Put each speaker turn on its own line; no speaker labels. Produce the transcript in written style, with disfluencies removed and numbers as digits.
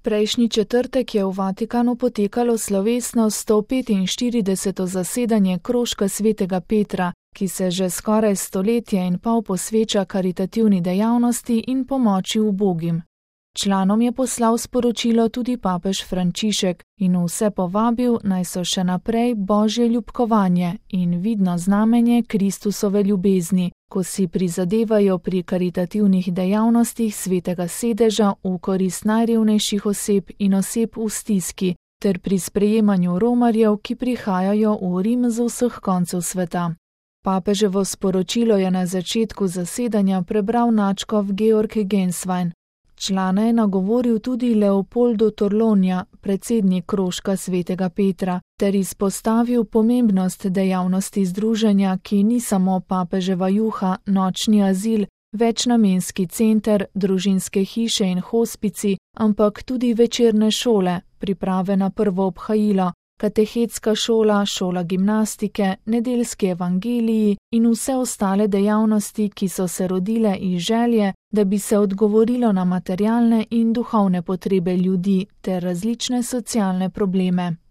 Prejšnji četrtek je v Vatikanu potekalo slovesno 145. zasedanje krožka svetega Petra, ki se že skoraj stoletje in pol posveča karitativni dejavnosti in pomoči ubogim. Članom je poslal sporočilo tudi papež Frančišek in vse povabil, naj so še naprej božje ljubkovanje in vidno znamenje Kristusove ljubezni, ko si prizadevajo pri karitativnih dejavnostih svetega sedeža v korist najrevnejših oseb in oseb v stiski, ter pri sprejemanju romarjev, ki prihajajo v Rim z vseh koncev sveta. Papeževo sporočilo je na začetku zasedanja prebral nadškof Georg Genswein. Člane je nagovoril tudi Leopoldo Torlonja, predsednik krožka svetega Petra, ter izpostavil pomembnost dejavnosti združenja, ki ni samo papeževa juha, nočni azil, večnamenski center, družinske hiše in hospici, ampak tudi večerne šole, priprave na prvo obhajilo, katehetska šola, šola gimnastike, nedeljski evangeliji in vse ostale dejavnosti, ki so se rodile iz želje, da bi se odgovorilo na materialne in duhovne potrebe ljudi ter različne socialne probleme.